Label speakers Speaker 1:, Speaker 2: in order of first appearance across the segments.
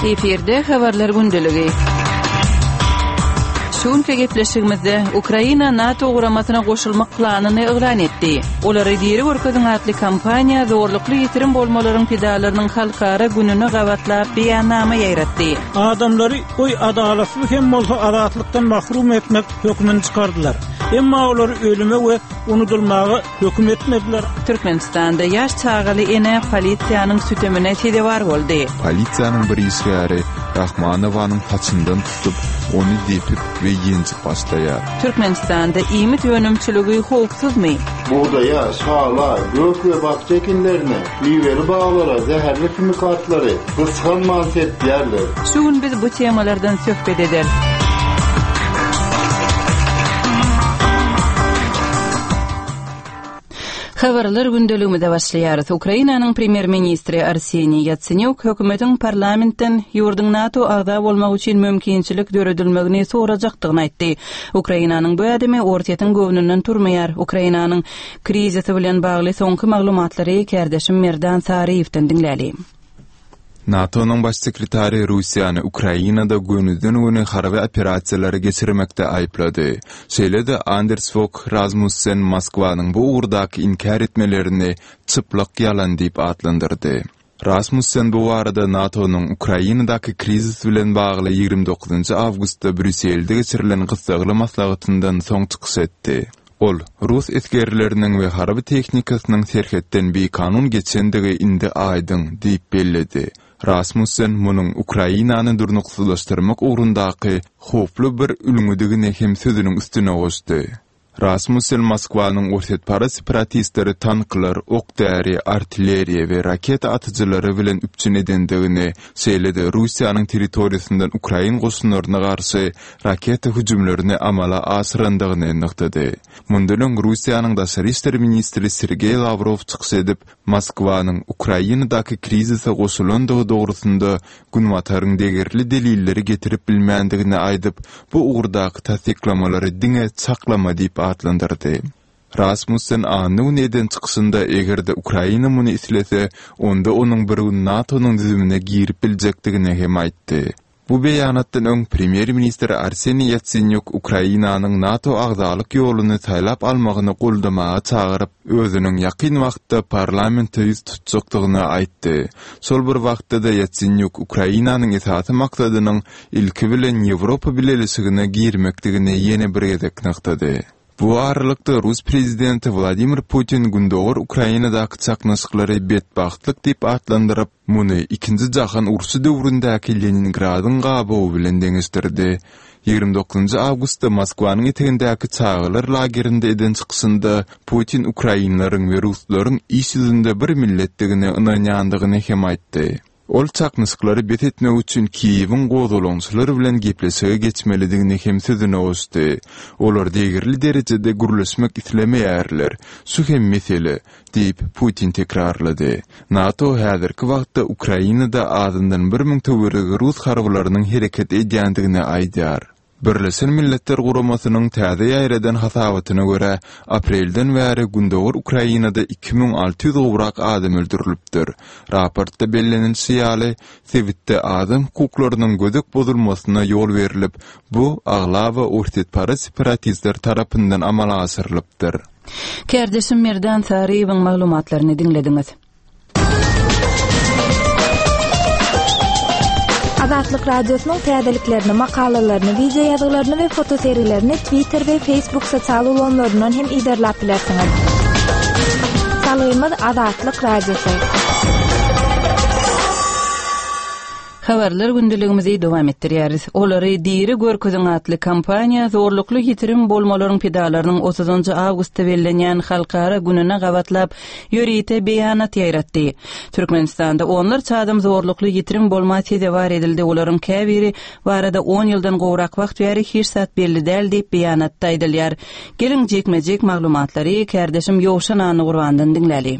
Speaker 1: Efirde habarlar gündeligi. Şu günki gepleşigimizde Ukraina NATO guramasyna goşulmak planyny yglan etdi. Olary diri görkeziň atly kampaniýa zorlukly ýitirim bolmalaryň pidalarynyň halkara gününe gabatlap beýannama ýaýratdy.
Speaker 2: Adamlary goý adalatsyz hem bolsa azatlykdan mahrum etmek hökmüni çykardylar. Emma olary ölüme we unudylmaga höküm etmediler.
Speaker 1: Türkmenistanda ýaş çagaly ene polisiýanyň sütemine sezewar boldy.
Speaker 3: Polisiýanyň bir işgäri Rahmanowanyň saçyndan tutup, ony depip we ýenjip başlaýar.
Speaker 1: Türkmenistanda iýmit önümçiligi howpsuzmy?
Speaker 4: Bugdaýa, şala, gök we bakja ekinlerine, miweli baglara zäherli himikatlary gysganman sepýärler.
Speaker 1: Şu gün biz bu temalardan söhbet ederis. Habarlar gündeligimize başlaýarys. Ukrainanyň premýer-ministri Arseniý Ýatsenýuk hökümetiň parlamentden ýurduň NATO agza bolmagy üçin mümkinçilik döredilmegini sorajakdygyny aýtdy. Ukrainanyň bu ädimi Orsýetiň göwnünden turmaýar. Ukrainanyň krizisi bilen bagly soňky maglumatlary kärdeşim Merdan Saryýewden diňläli.
Speaker 3: NATO-nyň Baş sekretary Russiýany Ukrainada gönüden-göni harby operasiýalary geçirmekde aýyplady. Şeýle-de Anders Fog Rasmussen Moskwanyň bu ugurdaky inkär etmelerini çyplak ýalan diýip atlandyrdy. Rasmussen bu barada NATO-nyň Ukrainadaky krizis bilen bagly 29 awgustda Brýusselde geçirilen gyssagly maslahatyndan soň çykyş etdi. Ol, Rus esgerleriniň we harby tehnikasynyň serhetden bikanun geçendigi indi aýdyň diýip belledi. Rasmussen munuň Ukrainany durnuksyzlaşdyrmak ugrundaky howply bir ülňüdigini hem sözüniň üstüne goşdy. Rasmussen Moskwanyň orsýetparaz separatistleri tanklar, ok-däri, artilleriýa we raketa atyjylary bilen üpjün edendigini, şeýle-de Russiýanyň territoriýasyndan ukrain goşunlaryna garşy raketa hüjümlerini amala aşyrandygyny nygtady. Mundan öň Russiýanyň daşary işler ministri Sergeý Lawrow çykyş edip, Moskwanyň Ukrainadaky krizise goşulandygy dogrusynda Günbataryň degerli delilleri getirip bilmändigini aýdyp, bu ugurdaky tassyklamalary diňe çaklama diýip atlandyrdy. Rasmussen anna güni eden çykyşynda eger-de Ukraina muny islese, onda onuň bir gün NATO-nyň düzümine girip biljekdigini hem aýtdy. Bu beýanatdan öň premýer-ministr Arseniý Ýatsenýuk Ukrainanyň NATO agzalyk ýoluny saýlap almagyny goldamaga çagyryp, özüniň ýakyn wagtda parlamente ýüz tutjakdygyny aýtdy. Şol bir wagtda-da Ýatsenýuk Ukrainanyň esasy maksadynyň ilki bilen Ýewropa Bileleşigine girmekdigini ýene bir gezek nygtady. Bu aralykda, rus prezidenti Wladimir Putin gündogar Ukrainadaky çaknyşyklary betbagtlyk diýip atlandyryp, muny Ikinji jahan urşy döwründäki Leningradyň gabawy bilen deňeşdirdi. 29 awgustda Moskwanyň etegindäki çagalar lagerinde eden çykyşynda Putin ukrainleriň we ruslaryň iş ýüzünde bir milletdigine ynanýandygyny hem aýtdy. Ol çaknyşyklary bes etmek üçin Kiýewiň gozgalaňçylar bilen gepleşige geçmelidigini hem sözüne goşdy. Olar degerli derejede gürleşmek islemeýärler. Şu hem mesele, diýip, Putin tekrarlady. NATO häzirki wagtda Ukrainada azyndan 1000 töweregi rus harbylarynyň hereket edýändigini aýdýar. Birleşen Milletler Guramasynyň täze ýaýradan hasabatyna görä, aprelden bäri gündogar Ukrainada 2600 gowrak adam öldürilipdir. Raportda bellenilişi ýaly, sebitde adam hukuklarynyň gödek bozulmasyna ýol berlip, bu, aglaba orsýetparaz separatistler tarapyndan amala aşyrylypdyr.
Speaker 1: Kärdeşim Merdan Saryýewiň maglumatlaryny diňlediňiz.
Speaker 5: Azatlyk Radiosynyň täzeliklerini, makalalaryny, wideo ýazgylaryny we fotosergilerini Twitter we Facebook sosial ulgamlaryndan hem yzarlap bilersiňiz. Salgymyz Azatlyk Radiosy.
Speaker 1: Habarlar gündeligimizi dowam etdirýäris. Olary diri görkeziň atly kampaniýa zorlukly ýitirim bolmalaryň pidalarynyň otuzynjy awgustda bellenýän halkara gününe gabatlap ýörite beýanat ýaýratdy. Türkmenistanda onlarça adam zorlukly ýitirim bolma sezewar edildi, olaryň käbiri barada on ýyldan gowrak wagt bäri hiç zat belli däl diýip beýanatda aýdylýar. Geliň jikme-jik maglumatlary kärdeşim Ýowşan Annagurbandan diňläli.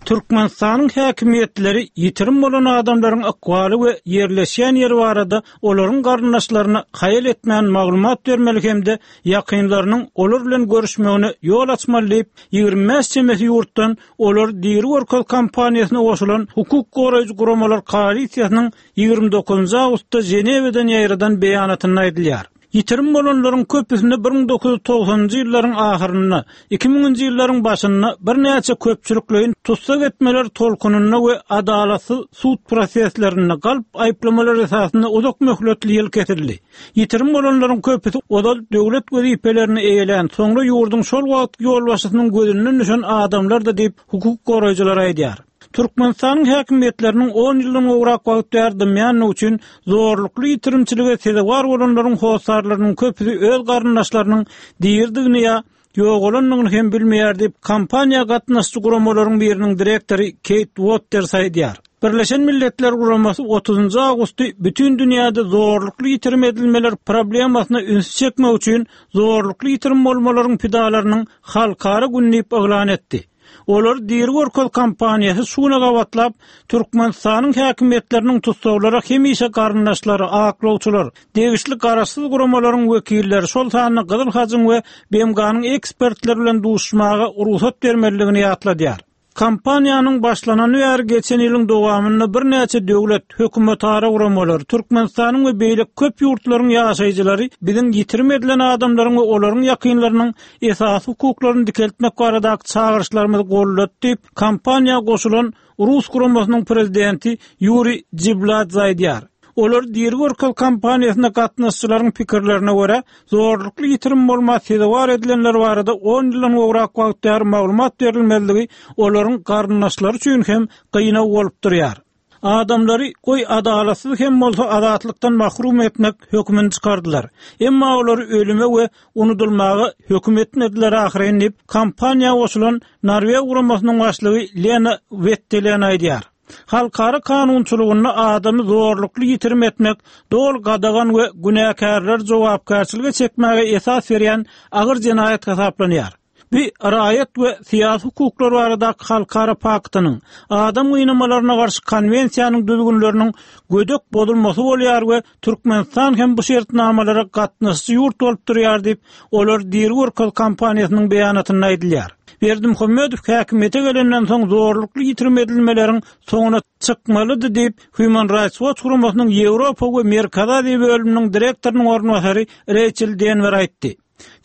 Speaker 2: Türkmenistanyň häkimiýetleri ýitirim bolan adamlaryň ykbaly we ýerleşýän ýeri barada olaryň garyndaşlaryna haýal etmän maglumat bermeli hem-de ýakynlarynyň olar bilen görüşmegine ýol açmaly diýip, 25 çemesi ýurtdan Olary diri görkez kampaniýasyna goşulan hukuk goraýjy guramalar koalisiýasynyň 29 awgustda Ženewadan ýaýradan beýanatynda aýdylýar. Ýitirim bolanlaryň köpüsine 1990-njy ýyllaryň ahyrynda, 2000-nji ýyllaryň başynda birnäçe köpçülikleýin tussag etmeler tolkunynda we adalatsyz sud proseslerinde galp aýyplamalar esasynda uzak möhletli ýyl kesildi. Ýitirim bolanlaryň köpüsi ozal döwlet wezipelerini eýelän, soňra ýurduň şol wagtky ýolbaşçysynyň gözünden düşen adamlardy diýip, hukuk goraýjylar aýdýar. Türkmenistanyň häkimiýetleriniň on ýyldan gowrak wagt bäri dymýandygy üçin zorlukly ýitirimçilige sezewar bolanlaryň hossarlarynyň köpüsi öz garyndaşlarynyň diridigini ýa ýogalandygyny hem bilmeýär diýip, kampaniýa gatnaşyjy guramalaryň biriniň direktory Keýt Uotters aýdýar. Birleşen Milletler Guramasy otuzynjy awgusty bütin dünýäde zorlukly ýitirim edilmeler problemasyna ünsi çekmek üçin Zorlukly ýitirim bolmalaryň pidalarynyň halkara güni diýip yglan etdi. Olary diri görkez kampaniýasy şu güne gabatlap, Türkmenistanyň häkimiýetleriniň tussaglara hemişe garyndaşlary, aklawçylar, degişli garaşsyz guramalaryň wekilleri, şol sanda Gyzyl Hajyň we BMG-niň ekspertleri bilen duşuşmaga rugsat bermelidigini ýatladýar. Kampaniýanyň başlanany bäri geçen ýylyň dowamynda birnäçe döwlet, hökümetara guramalar, Türkmenistanyň we beýleki köp ýurtlaryň ýaşaýjylary biziň ýitirim edilen adamlaryň we olaryň ýakynlarynyň esasy hukuklaryny dikeltmek baradaky çagyryşlarymyzy goldady diýip, kampaniýa goşulan rus guramasynyň prezidenti Ýuriý Jibladze aýdýar. Olary diri görkez kampaniýasyna gatnaşyjylaryň pikirlerine görä, zorlukly ýitirim bolma sezewar edilenler barada on ýyldan gowrak wagt bäri maglumat berilmezligi olaryň garyndaşlary üçin hem gynag bolup durýar. Adamlary, goý, adalatsyz hem bolsa azatlykdan mahrum etmek hökümini çykardylar. Emma olary ölüme we unudylmaga höküm etmediler ahyryn diýip, kampaniýa goşulan Norweg guramasynyň başlygy Lena Wettelen aýdýar. Halkara kanunçylygynda adamy zorlukly ýitirim etmek doly gadagan we günäkärleri jogapkärçilige çekmäge esas berýän agyr jenaýat hasaplanýar. Bu Raýat we syýasy hukuklar baradaky halkara paktynyň, Adam gynamalaryna garşy konwensiýanyň düzgünleriniň gödek bozulmasy bolýar we Türkmenistan hem bu şertnamalara gatnaşyjy ýurt bolup durýar diýip, Olary diri görkez kampaniýasynyň beýanatynda aýdylýar. Berdimuhamedow häkimiýete gelenden soň zorlukly ýitirim edilmeleriň soňuna çykmalydy diýip, Human Rights Watch guramasynyň Ýewropa we Merkezi Aziýa bölüminiň direktorynyň orunbasary Reýçel Denwer aýtdy.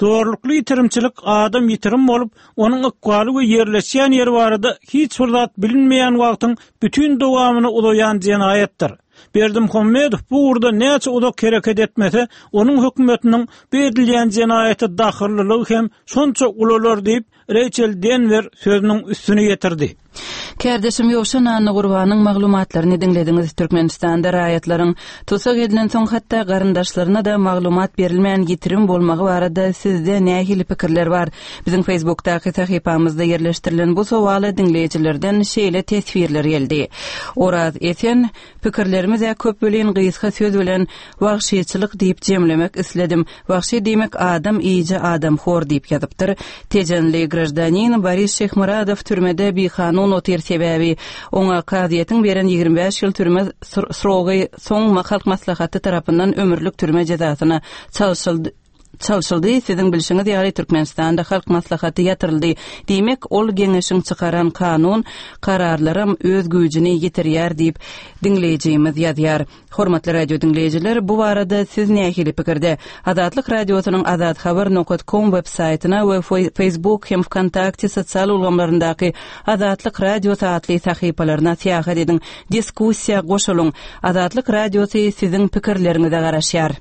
Speaker 2: Zorlukly ýitirimçilik adam ýitirim bolup, onuň ykbaly we ýerleşýän ýeri barada hiç bir zat bilinmeýän wagtyň bütin dowamyna uzaýan jenaýatdyr. Berdimuhamedow bu ugurda näçe uzak hereket etmese, onuň hökümetiniň bu edilýän jenaýata dahyllylygy hem şonça ulalar diýip, Reýçel Denwer sözüniň üstüni ýetirdi.
Speaker 1: Kärdeşim Ýowşan Annagurbanyň maglumatlaryny diňlediňiz. Türkmenistanda raýatlaryň tussag edilensoň hatda garyndaşlaryna-da maglumat berilmän ýitirim bolmagy barada sizde nähili pikirler bar? Biziň Facebookdaky sahypamyzda ýerleşdirilen bu sowala diňleýjilerden şeýle teswirler geldi. Oraz Esen, Pikirlerimiz-ä köp welin gysga söz bilen wagşyçylyk diýip jemlemek isledim. Wagşy diýmek adam iýiji adamhor diýip ýazypdyr. Tejenli graždanin Boris Şyhmyradow türmede bikanun otyr sebäbi oňa kazyýetiň beren 25 ýyl türme srogy soň Halk Maslahaty tarapyndan ömürlik türme jezasyna çalşyldy. Çalşyldy, siziň bilşiňiz ýaly Türkmenistanda Halk Maslahaty ýatyryldy. Diýmek, ol geňeşiň çykaran kanun, kararlaram öz güýjüni ýitirýär diýip, diňleýjimiz ýazýar. Hormatly radio diňleýjiler, bu barada siz nähili pikirde? Azatlyk Radiosynyň azathabar nokat kom web saýtyna we Facebook hem Wkontakte sosial ulgamlaryndaky Azatlyk Radiosy atly sahypalaryna syýahat ediň, diskussiýa goşulyň! Azatlyk Radiosy siziň pikirleriňize garaşýar.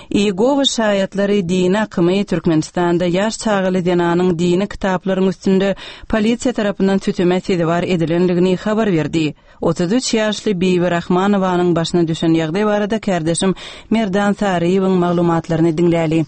Speaker 1: Iýegowa şaýatlary dini akymy Türkmenistanda ýaş çagaly zenanyň dini kitaplaryň üstünde polisiýa tarapyndan süteme sezewar edilendigini habar berdi. 33 ýaşly Bibi Rahmanowanyň başyna düşen ýagdaý barada kärdeşim Merdan Saryýewiň maglumatlaryny diňläli.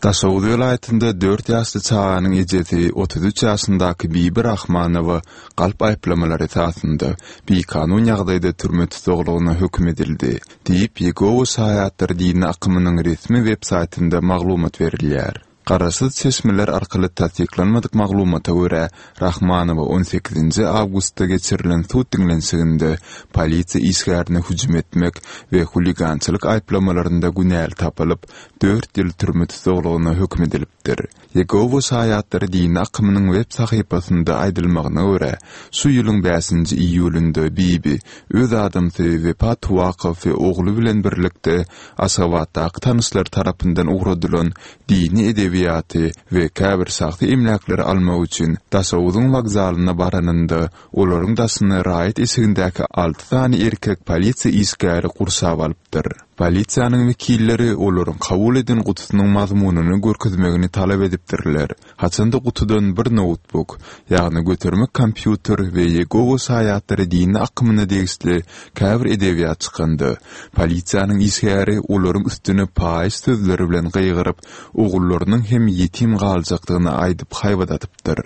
Speaker 3: Daşoguz welaýatynda dört ýaşly çaganyň ejesi 33 ýaşyndaky Bibi Rahmanowa galp aýyplamalar esasynda bikanun ýagdaýda türme tussaglygyna höküm edildi, diýip, Ýegowa şaýatlary dini akymynyň resmi web saýtynda maglumat berilýär. Garaşsyz çeşmeler arkaly tassyklanmadyk maglumata görä, Rahmanowa on sekizinji awgustda geçirilen sud diňlenişiginde polisiýa işgärine hüjüm etmek we huligançylyk aýyplamalarynda günäli tapylyp, dört ýyl türme tussaglygyna höküm edilipdir. Ýegowa şaýatlary dini akymynyň web sahypasynda aýdylmagyna görä, şu ýylyň bäşinji iýulynda Bibi öz adamsy Wepa Tuwakow we ogly bilen birlikde Aşgabatdaky tanyşlary tarapyndan ugradylan dini edebiýaty we käbir şahsy emläkleri almak üçin Daşoguzyň wokzalyna baranynda, olaryň daşyny raýat eşigindäki alty sany erkek polisiýa işgäri gurşap alypdyr. Polisiýanyň wekilleri olaryň kabul eden gutusynyň mazmunyny görkezmegini talap edipdirler. Haçanda gutudan bir noutbuk, ýagny göterme kompýuter we Ýegowa şaýatlary dini akymyna degişli käbir edebiýat çykanda, polisiýanyň işgäri olaryň üstüne paýyş sözleri bilen gygyryp, ogullarynyň hem ýetim galjakdygyny aýdyp haýbat atypdyr.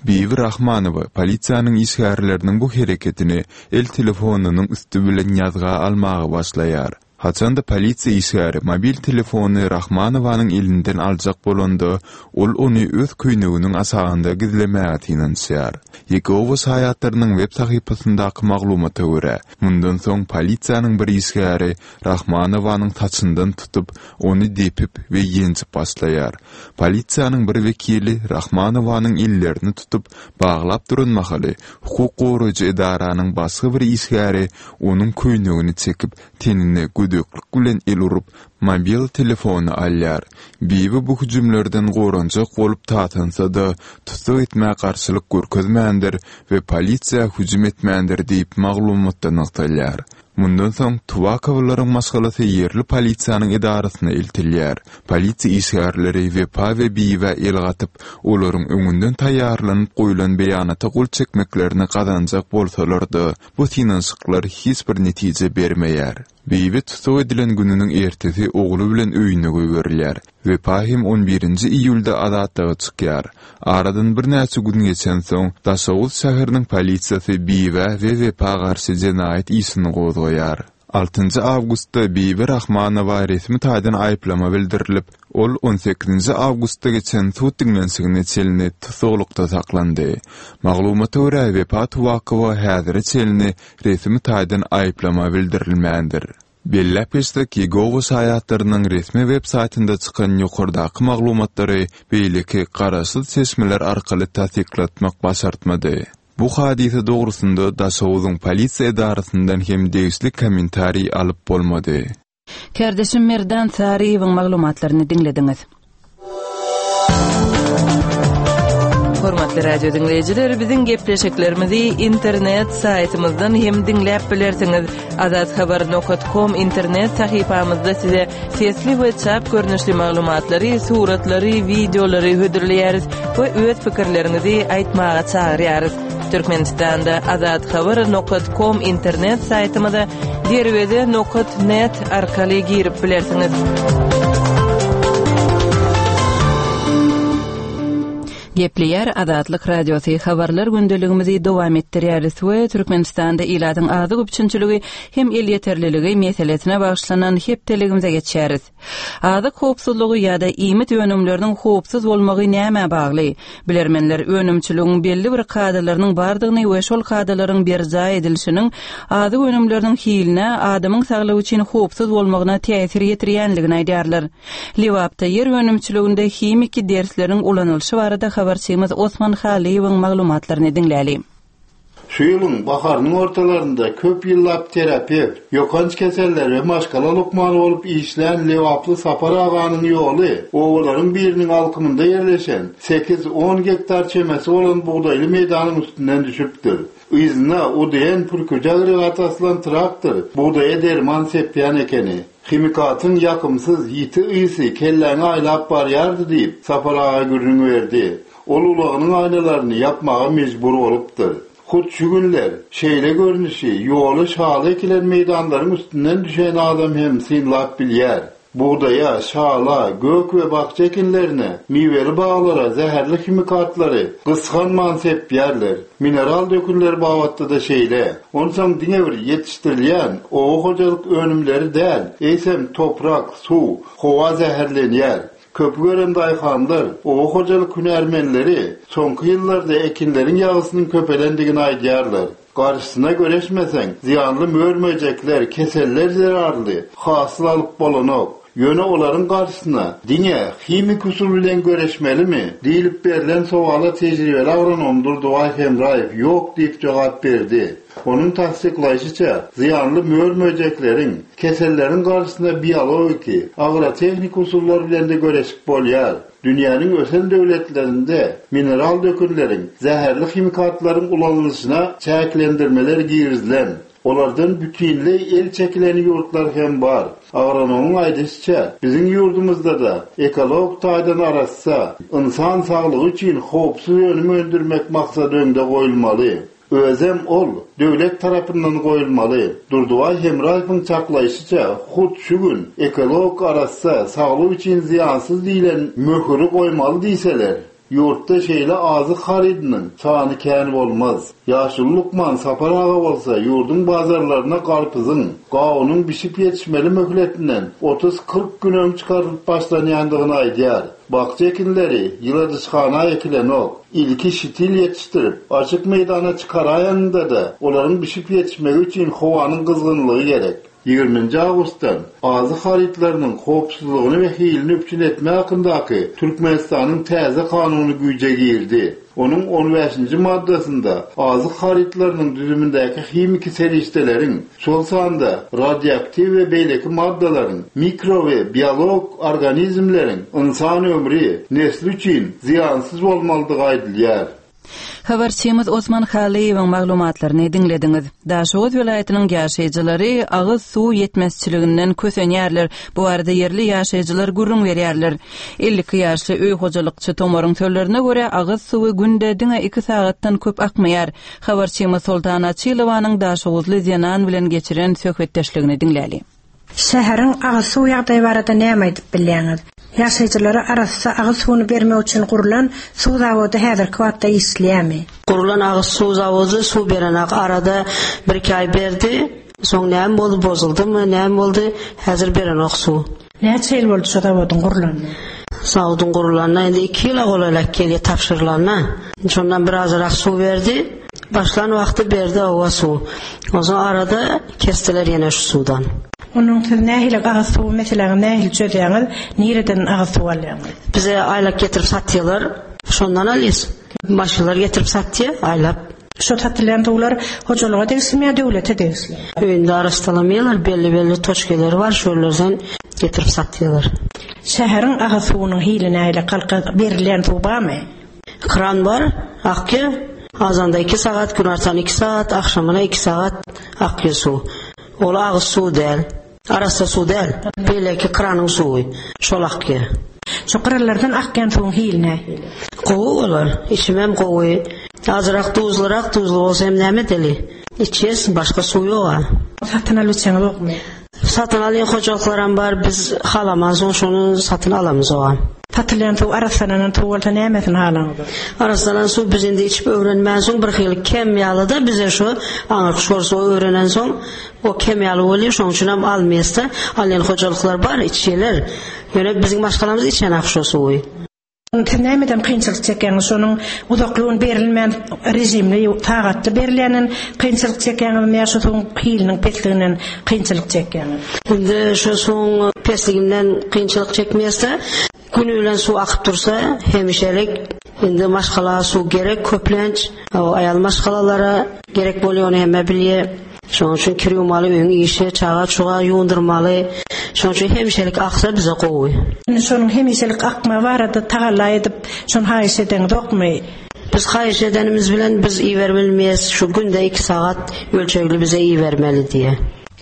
Speaker 3: Bibi Rahmanowa polisiýanyň işgärleriniň bu hereketini el telefonynyň üsti bilen ýazga almaga başlaýar. Haçanda polisiýa işgäri mobil telefony Rahmanowanyň elinden aljak bolanda, ol ony öz köýneginiň aşagynda gizlemäge synanyşýar. Ýegowa şaýatlarynyň web sahypasyndaky maglumata görä, mundan soň polisiýanyň bir işgäri Rahmanowanyň saçyndan tutup, ony depip we ýenjip başlaýar. Polisiýanyň bir wekili Rahmanowanyň ellerini tutup, baglap duran mahaly, hukuk goraýjy edaranyň başga bir işgäri onuň köýnegini çekip, tenine gödeklik bilen el urup, mobil telefony alýar. Bibi bu hüjümlerden goranjak bolup tatansa-da, tussag etmä garşylyk görkezmändir we polisiýa hüjüm etmändir diýip, maglumatda nygtalýar. Mundan soň Tuwakowlaryň maşgalasy ýerli polisiýanyň edarasyna eltilýär. Polisiýa işgärleri Wepa we Bibä el gatyp, olaryň öňünden taýýarlanyp goýlan beýanata gol çekmeklerini gazanjak bolsalar-da, bu synanyşyklar hiç bir netije bermeýär. Bibi tussag edilen gününiň ertesi ogly bilen öýüne goýberilýär. Wepa hem on birinji iýulda azatlyga çykýar. Aradan birnäçe gün geçensoň, Daşoguz şäheriniň polisiýasy Bibä we Wepa garşy jenaýat işini gozgaýar. Altynjy awgustda Bibi Rahmanowa resmi taýdan aýyplama bildirilip, ol on sekizinji awgustda geçen sud diňlenişigine çenli tussaglykda saklandy. Maglumata görä, Wepa Tuwakowa häzire çenli resmi taýdan aýyplama bildirilmändir. Belläp geçsek, Ýegowa şaýatlarynyň resmi web saýtynda çykan ýokardaky maglumatlary beýleki garaşsyz çeşmeler arkaly tassyklatmak başartmady. Bu hadysa dogrusynda Daşoguzyň polisiýa edarasyndan hem degişli kommentariý alyp bolmady.
Speaker 1: Kärdeşim Merdan Saryýewiň maglumatlaryny diňlediňiz. Hormatly radio diňleýjiler, biziň gepleşiklerimizi internet saýtymyzdan hem diňläp bilersiňiz. Azathabar.com internet sahypamyzda size sesli we çap görnüşli maglumatlary, suratlary, wideolary hödürleýäris we öz pikirleriňizi aýtmaga çagyrýarys. Türkmenistanda azathabar.com internet saýtymyza derweze nokat net arkaly girip bilersiňiz. Gepleýär Azatlyk Radiosy habarlar gündeligimizi dowam etdirýäris we Türkmenistanda ilatyň azyk üpjünçiligi hem elýeterliligi meselesine bagyşlanan hepdeligimize geçýäris. Azyk howpsuzlygy ýa-da iýmit önümleriniň howpsuz bolmagy nämä bagly? Bilermenler önümçiligiň belli bir kadalarynyň bardygyny we şol kadalaryň berjaý edilişiniň azyk önümleriniň hiline, adamyň saglygy üçin howpsuz bolmagyna täsir ýetirýänligini aýdýarlar. Lebapda ýer önümçiliginde himiki dersleriň ulanylyşy barada habarçymyz Osman Halyýewiň maglumatlaryny diňläli.
Speaker 4: Şu ýylyň baharynyň ortalarynda köp ýyllap terapewt, ýokanç keseller we maşgala lukmany bolup işlän lebaply Sapar aganyň ýoly obalaryň biriniň alkymynda ýerleşen sekiz-on gektar çemesi bolan bugdaýly meýdanyň üstünden düşüpdir. Yzyna UDN pürküji agregat asylan traktor bugdaýa derman sepýän ekeni. Himikatyň ýakymsyz, ýiti ysy kelläňi aýlap barýardy diýip, Sapar aga gürrüň berdi. Ol ulagynyň aýnalaryny ýapmaga mejbur bolupdyr. Hut şu günler şeýle görnüşi ýoly şaly ekilen meýdanlaryň üstünden düşen adam hem synlap bilýär. Bugdaýa, şala, gök we bakja ekinlerine, miweli baglara zäherli himikatlary gysganman sepýärler. Mineral dökünler babatda-da şeýle. Onsoň diňe bir ýetişdirilýän oba hojalyk önümleri däl, eýsem toprak, suw, howa zäherlenýär. Köpi gören daýhanlar, oba hojalyk hünärmenleri soňky ýyllarda ekinleriň ýagysynyň köpelendigini aýdýarlar. Garşysyna göreşmeseň, zyýanly mör-möjekler, keseller zerarly hasyl alyp bolanok. Ýöne olaryň garşysyna diňe himiki usul bilen göreşmelimi? diýlip berlen sowala tejribeli agronom Durdybaý Hemraýew ýok diýip jogap berdi. Onuň tassyklaýşyça, zyýanly mör-möjekleriň, keselleriň garşysyna biologiki, agrotehniki usullar bilen-de göreşip bolýar. Dünýäniň ösen döwletlerinde mineral dökünleriň, zäherli himikatlaryň ulanylyşyna çäklendirmeler girizilen. Olardan bütinleý el çekilen ýurtlar hem bar. Agronomyň aýdyşyça, biziň ýurdumyzda-da ekologik taýdan arassa, ynsan saglygy üçin howpsuz önüm öndürmek maksady öňde goýulmaly. Özem ol döwlet tarapyndan goýulmaly. Durdybaý Hemraýewiň çaklaýşyça, hut şu gün ekologik arassa, saglyk üçin zyýansyz diýlen möhüri goýmaly diýseler, ýurtda şeýle azyk harydynyň sany kän bolmaz. Ýaşuly lukman Sapar aga bolsa ýurduň bazarlaryna garpyzyň, gawunyň bişip ýetişmeli möhletinden otuz-kyrk gün öň çykarylyp başlanýandygyny aýdýar. Bakja ekinleri ýyladyşhana ekilenok. Ilki şitil ýetişdirip, açyk meýdana çykaraýanynda-da, olaryň bişip ýetişmegi üçin howanyň gyzgynlygy gerek. Ýigriminji awgustdan Azyk harytlarynyň howpsuzlygyny we hilini üpjün etmek hakyndaky Türkmenistanyň täze Kanuny güýje girdi. Onuň on bäşinji maddasynda azyk harytlarynyň düzümindäki himiki serişdeleriň, şol sanda radioaktiw we beýleki maddalaryň mikro we biologik organizmleriň ynsan ömri, nesli üçin zyýansyz bolmalydygy aýdylýar.
Speaker 1: Habarçymyz Osman Halyýewiň maglumatlaryny diňlediňiz. Daşoguz welaýatynyň ýaşaýjylary agyz suw ýetmezçiliginden kösenýärler. Bu barada ýerli ýaşaýjylar gürrüň berýärler. 52 ýaşly öý hojalykçy Tomaryň sözlerine görä, agyz suwy günde diňe iki sagatdan köp akmaýar. Habarçymyz Soltan Açylowanyň daşoguzly zenan bilen geçiren söhbetdeşligini diňläli.
Speaker 6: Şäheriň agyz suw ýagdaýy barada näme aýdyp bilýäňiz? Ýaşaýjylara arassa agyz suwuny bermek üçin gurlan suw zawody häzirki wagtda işleýärmi?
Speaker 7: Gurlan agyz suw zawody suw berenak arada birki aý berdi soň näme boldy bozuldymy näme boldy häzir berenok suw.
Speaker 6: Näçe ýyl boldy şo zawodyň gurlanyna?
Speaker 7: Zawodyň gurlanyna indi iki ýyla golaýlap gelýär tabşyrylanyna. Şondan birazrak suw berdi. Başlan wagty berdi oba suw. Onsoň arada kesdiler ýene şu suwdan.
Speaker 6: Onnoň siz nähili agyz suwy meseläňizi nähili çözýäňiz? Nireden agyz suw alýaňyz?
Speaker 7: Bize aýlap getirip satýalar. Şondan alýas. Maşynlar getirip satýa aýlap.
Speaker 6: Şo satylýan suwlar hojalyga degişlimi ýa döwlete degişli?
Speaker 7: Öýünde arassalamaýarlar, belli-belli toçkeleri bar, şolardan getirip satýarlar.
Speaker 6: Şäheriň agyz suwunyň hili nähili, halka berilýän suw barmy?
Speaker 7: Kran bar, akýar. Azanda iki sagat, günortan iki sagat, agşamyna iki sagat akýar suw. Ol agyz suwy däl. Arassa suw däl, beýleki kranyň suwy, şol akýar.
Speaker 6: Şu gyralardan akýan suwuň hili nähili?
Speaker 7: Gowy olar, içimem gowy. Azrak duzlurak, duzly bolsa hem näme edeli? Içýäs, başga suw ýog-a.
Speaker 6: Satyn alyp içeňizokmy?
Speaker 7: Satyn alýan hojalyklaram bar, biz halamansoň şony satyn alamyzogam.
Speaker 6: Satylýan suw arassalanan suw bolsa nämesini halaňyzok?
Speaker 7: Arassalanan suw biz indi içip öwrenmänsoň birhili kem ýaly-da bize şu aňyrky şor suwy öwrenensoň O kem ýaly bolýar, şonuň üçin hem almaýasda. Alýan hojalyklar bar, içýärler. Ýöne biziň maşgalamyz içenak şo suwy.
Speaker 6: Siz nämeden kynçylyk çekýäňiz? Şonuň uzakly gün berilmän režimli sagatda berilýänden kynçylyk çekýäňizmi ýa şu suwuň hiliniň pesliginden kynçylyk çekýäňiz?
Speaker 7: Indi şo suwuň pesliginden kynçylyk çekmeýäsda. Güni bilen suw akyp dursa hemişelik. Indi maşgala suw gerek köplenç. Aýal maşgalalara gerek bolýar ony hemme bilýär. Şonuň üçin kir ýuwmaly, öýüň işi, çaga-çuga ýuwundyrmaly. Şonuň üçin hemişelik aksa bize gowy.
Speaker 6: Indi şonuň hemişelik akmagy barada tagalla edip, şony haýyş edeňzokmy?
Speaker 7: Biz haýyş edenimiz bilen biz iberbilmeýäs, şu günde iki sagat ölçegli bize ibermeli diýýär.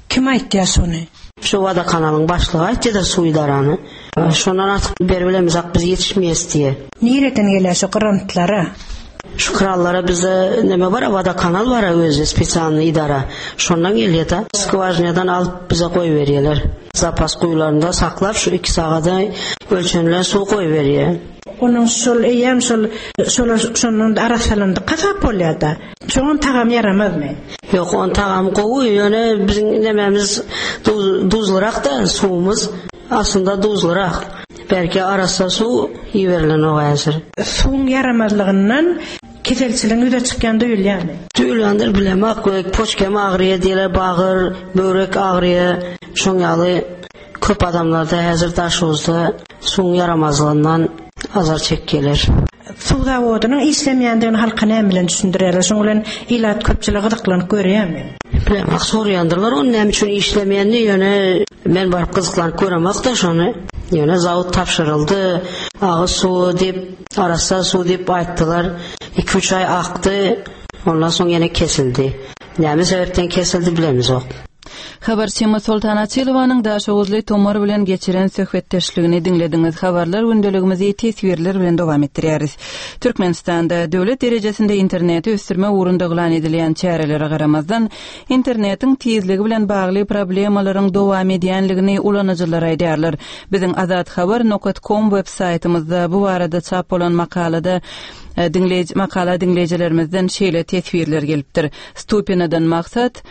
Speaker 6: Kim aýtýar şony?
Speaker 7: Şu wodokanalyň başlygy aýtýada suw idarany. Şondan artyk beribilemizak biz ýetişmeýäs diýe.
Speaker 6: Nireden gelýär şu grantlara?
Speaker 7: Şu krallara bizde neme bar, wodokanal bar özi spesialnyý idara. Şondan gelýär-de. Skwažinadan alyp bize goýberýärler. Zapas guýularynda saklap şu iki sagada ölçenilen suw goýberýär.
Speaker 6: Onuň şol eýýäm şol şolar şondan arassalandyk hasap bolýar-da. Şoňam tagamy ýaramazmy?
Speaker 7: Ýok, oň tagamy gowy, ýöne biziň nememiz duzlurak-da suwumyz. Aslynda duzlurak. Belki arassa suw iberilenok häzir.
Speaker 6: Suwuň ýaramazlygyndan keselçiligiň ýüze çykýany duýulýarmy?
Speaker 7: Duýulýandyr bilemok. Poçkam agyrýar diýýärler, bagyr, böwrek agyrýar. Şoň ýaly köp adamlarda häzir Daşoguzda suwuň ýaramazlygyndan azar çekýärler.
Speaker 6: Suw zawodynyň işlemeýändigini halka näme bilen düşündirýärler? Şoň bilen ilat köpçülik gyzyklanyp görýärmi?
Speaker 7: Bilemok, soraýandyrlar ony näme üçin işlemeýänini, ýöne men baryp gyzyklanyp göremok-da şony. Ýöne zawod tabşyryldy, agyz suwy diýip, arassa suw diýip aýtdylar. Iki-üç aý akdy, ondan soň ýene kesildi. Näme sebäpden kesildi bilemizok.
Speaker 1: Habarçymyz Soltan Açylowanyň daşoguzly Tomar bilen geçiren söhbetdeşligini diňlediňiz. Habarlar gündeligimizi teswirler bilen dowam etdirýäris. Türkmenistanda döwlet derejesinde interneti ösdürmek ugrunda yglan edilýän çärelere garamazdan, internetiň tizligi bilen bagly problemalaryň dowam edýänligini ulanyjylar aýdýarlar. Biziň azathabar nokat kom web saýtymyzda bu barada çap bolan makalada diňleýji makala diňleýjilerimizden şeýle teswirler gelipdir. Stupinadan maksat,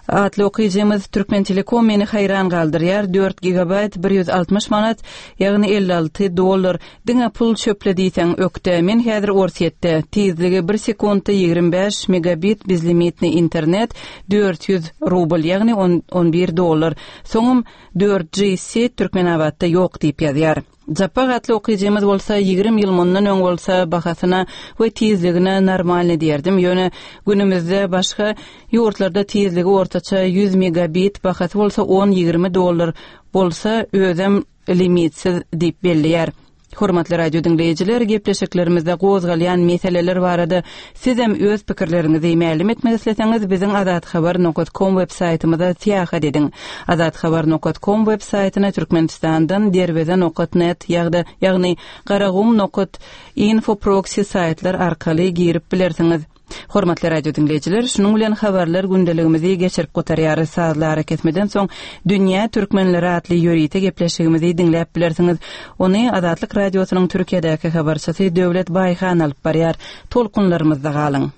Speaker 1: Atly okyjymyz Türkmentelekom meni haýran galdyrýar, dört gigabaýt 160 manat, ýagny 56 dollar, diňe pul çöple diýseň ökde, men häzir Orsýetde, tizligi bir sekuntda 25 megabit bezlimitny internet 400 rubl, ýagny 11 dollar, soňam 4G set Türkmenabatda ýok diýip ýazýar. Japbak atly okyjymyz bolsa 20 ýyl mundan öň bolsa bahasyna we tizligine normalny diýerdim, ýöne günümizde başga ýurtlarda tizligi ortaça 100 megabit, bahasy bolsa on-ýigrimi dollar bolsa özem limitsiz diýip belleýär. Hormatly radio diňleýjiler, gepleşiklerimizde gozgalýan meseleler barada sizem öz pikirleriňizi mälim etmek isleseňiz biziň azathabar nokat kom web saýtymyza syýahat ediň. Azathabar nokat kom web saýtyna Türkmenistandan derweze nokat net ýagda ýagny garagum nokat info proksi saýtlar arkaly girip bilersiňiz. Hormatly radio diňleýjiler, şunuň bilen habarlar gündeligimizi geçirip gutarýarys. Sazly arakesmeden soň Dünýä türkmenleri atly ýörite gepleşigimizi diňläp bilersiňiz. Ony Azatlyk Radiosynyň Türkiýedäki habarçysy Döwlet Baýhan alyp barýar. Tolkunlarymyzda galyň.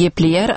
Speaker 1: Gepleýär.